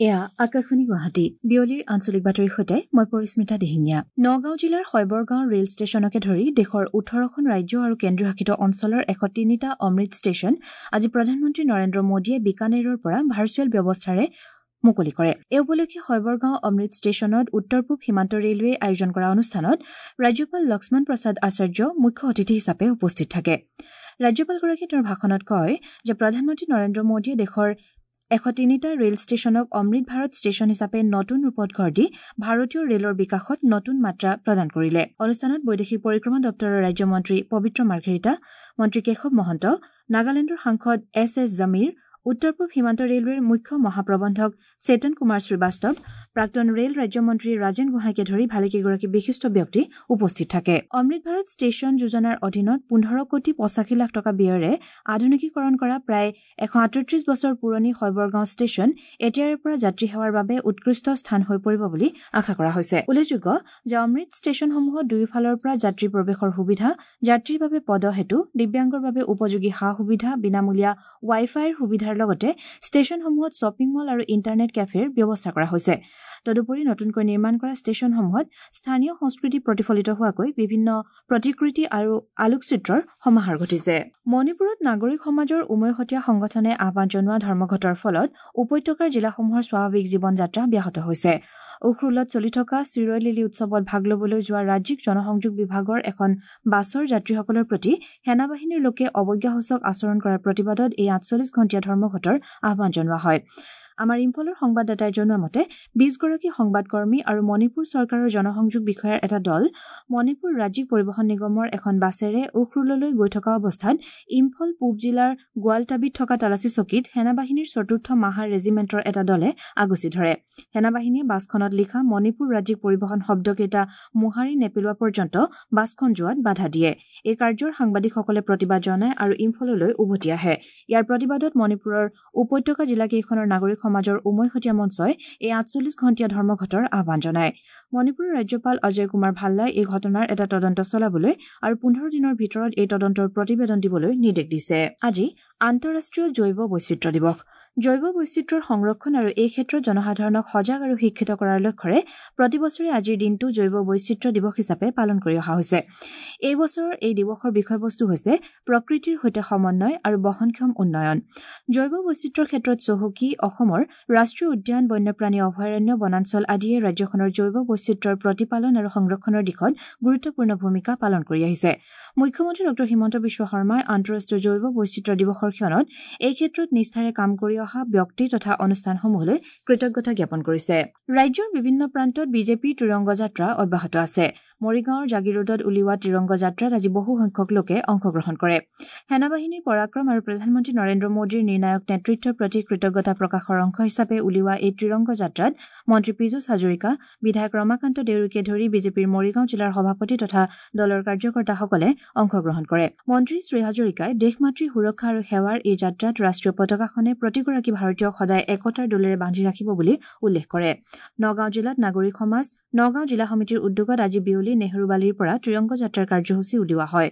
এয়া আকাশবাণী গুৱাহাটী। বিয়লিৰ আঞ্চলিক বাতৰিৰ সৈতে মই পৰিস্মিতা দিহিঙীয়া। নগাঁও জিলাৰ শৈবৰগাঁও ৰেল ষ্টেচনকে ধৰি দেশৰ 18খন ৰাজ্য আৰু কেন্দ্ৰীয় শাসিত অঞ্চলৰ 103টা অমৃত ষ্টেচন আজি প্ৰধানমন্ত্ৰী নৰেন্দ্ৰ মোদীয়ে বিকানেৰৰ পৰা ভাৰ্চুৱেল ব্যৱস্থাৰে মুকলি কৰে। এই উপলক্ষে শৈবৰগাঁও অমৃত ষ্টেচনত উত্তৰ পূব সীমান্ত ৰেলৱেই আয়োজন কৰা অনুষ্ঠানত ৰাজ্যপাল লক্ষ্মণ প্ৰসাদ আচাৰ্য মুখ্য অতিথি হিচাপে উপস্থিত থাকে। ৰাজ্যপালগৰাকীয়ে তেওঁৰ ভাষণত কয় যে প্ৰধানমন্ত্ৰী নৰেন্দ্ৰ মোদীয়ে দেশৰ 103টা ৰেল ষ্টেচনক অমৃত ভাৰত ষ্টেচন হিচাপে নতুন ৰূপত গঢ় দি ভাৰতীয় ৰেলৰ বিকাশত নতুন মাত্ৰা প্ৰদান কৰিলে। অনুষ্ঠানত বৈদেশিক পৰিক্ৰমা দপ্তৰৰ ৰাজ্যমন্ত্ৰী পবিত্ৰ মাৰ্ঘেৰিটা, মন্ত্ৰী কেশৱ মহন্ত, নাগালেণ্ডৰ সাংসদ এছ এছ জমীৰ, উত্তৰ পূব সীমান্ত ৰেলৱেৰ মুখ্য মহাপ্ৰবন্ধক চেতন কুমাৰ শ্ৰীবাস্তৱ, প্ৰাক্তন ৰেল ৰাজ্যমন্ত্ৰী ৰাজেন গোহাঁইকে ধৰি ভালেকেইগৰাকী বিশিষ্ট ব্যক্তি উপস্থিত থাকে। অমৃত ভাৰত ষ্টেচন যোজনাৰ অধীনত 15 কোটি 85 লাখ টকা ব্যয়েৰে আধুনিকীকৰণ কৰা প্ৰায় 138 বছৰ পুৰণি শৈবৰগাঁও ষ্টেচন এতিয়াৰে পৰা যাত্ৰী সেৱাৰ বাবে উৎকৃষ্ট স্থান হৈ পৰিব বুলি আশা কৰা হৈছে। উল্লেখযোগ্য যে অমৃত ষ্টেচনসমূহত দুয়োফালৰ পৰা যাত্ৰী প্ৰৱেশৰ সুবিধা, যাত্ৰীৰ বাবে পদসেতু, দিব্যাংগৰ বাবে উপযোগী সা সুবিধা, বিনামূলীয়া ৱাই ফাইৰ সুবিধাৰ লগতে ষ্টেচনসমূহত শ্বপিং মল আৰু ইণ্টাৰনেট কেফেৰ ব্যৱস্থা কৰা হৈছে। তদুপৰি নতুনকৈ নিৰ্মাণ কৰা ষ্টেচনসমূহত স্থানীয় সংস্কৃতি প্ৰতিফলিত হোৱাকৈ বিভিন্ন প্ৰতিকৃতি আৰু আলোকচিত্ৰৰ সমাহাৰ ঘটিছে। মণিপুৰত নাগৰিক সমাজৰ উমৈহতীয়া সংগঠনে আহ্বান জনোৱা ধৰ্মঘটৰ ফলত উপত্যকাৰ জিলাসমূহৰ স্বাভাৱিক জীৱন যাত্ৰা ব্যাহত হৈছে। উখৰুলত চলি থকা চিৰৈ লিলি উৎসৱত ভাগ ল'বলৈ যোৱা ৰাজ্যিক জনসংযোগ বিভাগৰ এখন বাছৰ যাত্ৰীসকলৰ প্ৰতি সেনাবাহিনীৰ লোকে অৱজ্ঞাসূচক আচৰণ কৰাৰ প্ৰতিবাদত এই 48 ঘণ্টীয়া ধৰ্মঘটৰ আহ্বান জনোৱা হয়। আমাৰ ইম্ফলৰ সংবাদদাতাই জনোৱা মতে 20গৰাকী সংবাদকৰ্মী আৰু মণিপুৰ চৰকাৰৰ জনসংযোগ বিষয়াৰ এটা দল মণিপুৰ ৰাজ্যিক পৰিবহণ নিগমৰ এখন বাছেৰে উখৰুললৈ গৈ থকা অৱস্থাত ইম্ফল পূব জিলাৰ গোৱালটাবিত থকা তালাচী চকীত সেনাবাহিনীৰ চতুৰ্থ মাহাৰ ৰেজিমেণ্টৰ এটা দলে আগচি ধৰে। সেনাবাহিনীয়ে বাছখনত লিখা মণিপুৰ ৰাজ্যিক পৰিবহণ শব্দকেইটা মোহাৰি নেপেলোৱা পৰ্যন্ত বাছখন যোৱাত বাধা দিয়ে। এই কাৰ্যৰ সাংবাদিকসকলে প্ৰতিবাদ জনায় আৰু ইম্ফললৈ উভতি আহে। ইয়াৰ প্ৰতিবাদত মণিপুৰৰ উপত্যকা জিলাকেইখনৰ নাগৰিক সমাজৰ উমৈহতীয়া মঞ্চই এই 48 ঘণ্টীয়া ধৰ্মঘটৰ আহ্বান জনায়। মণিপুৰৰ ৰাজ্যপাল অজয় কুমাৰ ভাল্লাই এই ঘটনাৰ এটা তদন্ত চলাবলৈ আৰু 15 দিনৰ ভিতৰত এই তদন্তৰ প্ৰতিবেদন দিবলৈ নিৰ্দেশ দিছে। আজি আন্তঃৰাষ্ট্ৰীয় জৈৱ বৈচিত্ৰ্য দিৱস। জৈৱ বৈচিত্ৰ্যৰ সংৰক্ষণ আৰু এই ক্ষেত্ৰত জনসাধাৰণক সজাগ আৰু শিক্ষিত কৰাৰ লক্ষ্যৰে প্ৰতি বছৰে আজিৰ দিনটো জৈৱ বৈচিত্ৰ্য দিৱস হিচাপে পালন কৰি অহা হৈছে। এই বছৰৰ এই দিৱসৰ বিষয়বস্তু হৈছে প্ৰকৃতিৰ সৈতে সমন্বয় আৰু বহনক্ষম উন্নয়ন। জৈৱ বৈচিত্ৰ্যৰ ক্ষেত্ৰত চহকী অসমৰ ৰাষ্ট্ৰীয় উদ্যান, বন্যপ্ৰাণী অভয়াৰণ্য, বনাঞ্চল আদিয়ে ৰাজ্যখনৰ জৈৱ বৈচিত্ৰ্যৰ প্ৰতিপালন আৰু সংৰক্ষণৰ দিশত গুৰুত্বপূৰ্ণ ভূমিকা পালন কৰি আহিছে। মুখ্যমন্ত্ৰী ডঃ হিমন্ত বিশ্ব শৰ্মাই আন্তঃৰাষ্ট্ৰীয় জৈৱ বৈচিত্ৰ্য দিৱসৰ ক্ষণত এই ক্ষেত্ৰত নিষ্ঠাৰে কাম কৰি অহা ব্যক্তি তথা অনুষ্ঠানসমূহলৈ কৃতজ্ঞতা জ্ঞাপন কৰিছে। ৰাজ্যৰ বিভিন্ন প্ৰান্তত বিজেপিৰ ত্ৰিৰংগ যাত্ৰা অব্যাহত আছে। মৰিগাঁৱৰ জাগিৰোডত উলিওৱা ত্ৰিৰংগ যাত্ৰাত আজি বহু সংখ্যক লোকে অংশগ্ৰহণ কৰে। সেনাবাহিনীৰ পৰাক্ৰম আৰু প্ৰধানমন্ত্ৰী নৰেন্দ্ৰ মোদীৰ নিৰ্ণায়ক নেতৃত্বৰ প্ৰতি কৃতজ্ঞতা প্ৰকাশৰ অংশ হিচাপে উলিওৱা এই ত্ৰিৰংগ যাত্ৰাত মন্ত্ৰী পীযুষ হাজৰিকা, বিধায়ক ৰমাকান্ত দেউৰীকে ধৰি বিজেপিৰ মৰিগাঁও জিলাৰ সভাপতি তথা দলৰ কাৰ্যকৰ্তাসকলে অংশগ্ৰহণ কৰে। মন্ত্ৰী শ্ৰী হাজৰিকাই দেশ মাতৃৰ সুৰক্ষা আৰু সেৱাৰ এই যাত্ৰাত ৰাষ্ট্ৰীয় পতাকাখনে প্ৰতিগৰাকী ভাৰতীয়ক সদায় একতাৰ দোলেৰে বান্ধি ৰাখিব বুলি উল্লেখ কৰে। নগাঁও জিলাত নাগৰিক সমাজ, নগাঁও জিলা সমিতিৰ উদ্যোগত আজি বিয়লি নেহৰুবালিৰ পৰা ত্ৰিৰংগ যাত্ৰাৰ কাৰ্যসূচী উলিওৱা হয়।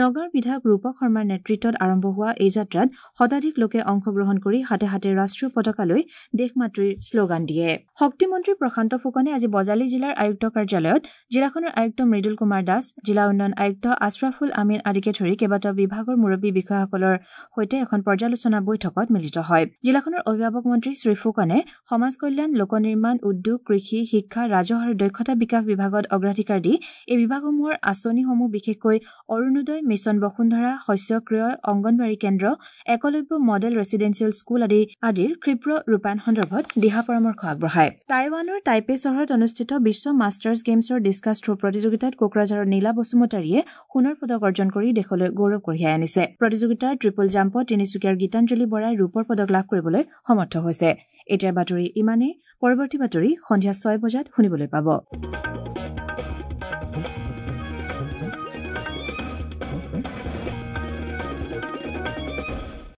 নগাঁৱৰ বিধায়ক ৰূপক শৰ্মাৰ নেতৃত্বত আৰম্ভ হোৱা এই যাত্ৰাত শতাধিক লোকে অংশগ্ৰহণ কৰি হাতে হাতে ৰাষ্ট্ৰীয় পতাকা লৈ দেশ মাতৃৰ শ্লোগান দিয়ে। শক্তিমন্ত্ৰী প্ৰশান্ত ফুকনে আজি বজালী জিলাৰ আয়ুক্ত কাৰ্যালয়ত জিলাখনৰ আয়ুক্ত মৃদুল কুমাৰ দাস, জিলা উন্নয়ন আয়ুক্ত আশ্ৰাফুল আমিন আদিকে ধৰি কেইবাটাও বিভাগৰ মুৰব্বী বিষয়াসকলৰ সৈতে এখন পৰ্যালোচনা বৈঠকত মিলিত হয়। জিলাখনৰ অভিভাৱক মন্ত্ৰী শ্ৰী ফুকনে সমাজ কল্যাণ, লোক নিৰ্মাণ, উদ্যোগ, কৃষি, শিক্ষা, ৰাজহ আৰু দক্ষতা বিকাশ বিভাগত অগ্ৰাধিকাৰ দি এই বিভাগসমূহৰ আঁচনিসমূহ বিশেষকৈ অৰুণোদয়, মিছন বসুন্ধৰা, শস্য ক্ৰয়, অংগনবাড়ী কেন্দ্ৰ, একলব্য মডেল ৰেচিডেন্সিয়েল স্কুল আদিৰ ক্ষীপ্ৰ ৰূপায়ণ সন্দৰ্ভত দিহা পৰামৰ্শ আগবঢ়ায়। টাইৱানৰ টাইপে চহৰত অনুষ্ঠিত বিশ্ব মাষ্টাৰ্ছ গেমছৰ ডিছকাছ থ্ৰ প্ৰতিযোগিতাত কোকৰাঝাৰৰ নীলা বসুমতাৰীয়ে সোণৰ পদক অৰ্জন কৰি দেশলৈ গৌৰৱ কঢ়িয়াই আনিছে। প্ৰতিযোগিতাৰ ট্ৰিপল জাম্পত তিনিচুকীয়াৰ গীতাঞ্জলি বৰাই ৰূপৰ পদক লাভ কৰিবলৈ সমৰ্থ হৈছে। এতিয়াৰ বাতৰি ইমানেই। পৰৱৰ্তী বাতৰি সন্ধিয়া 6 বজাত শুনিবলৈ পাব।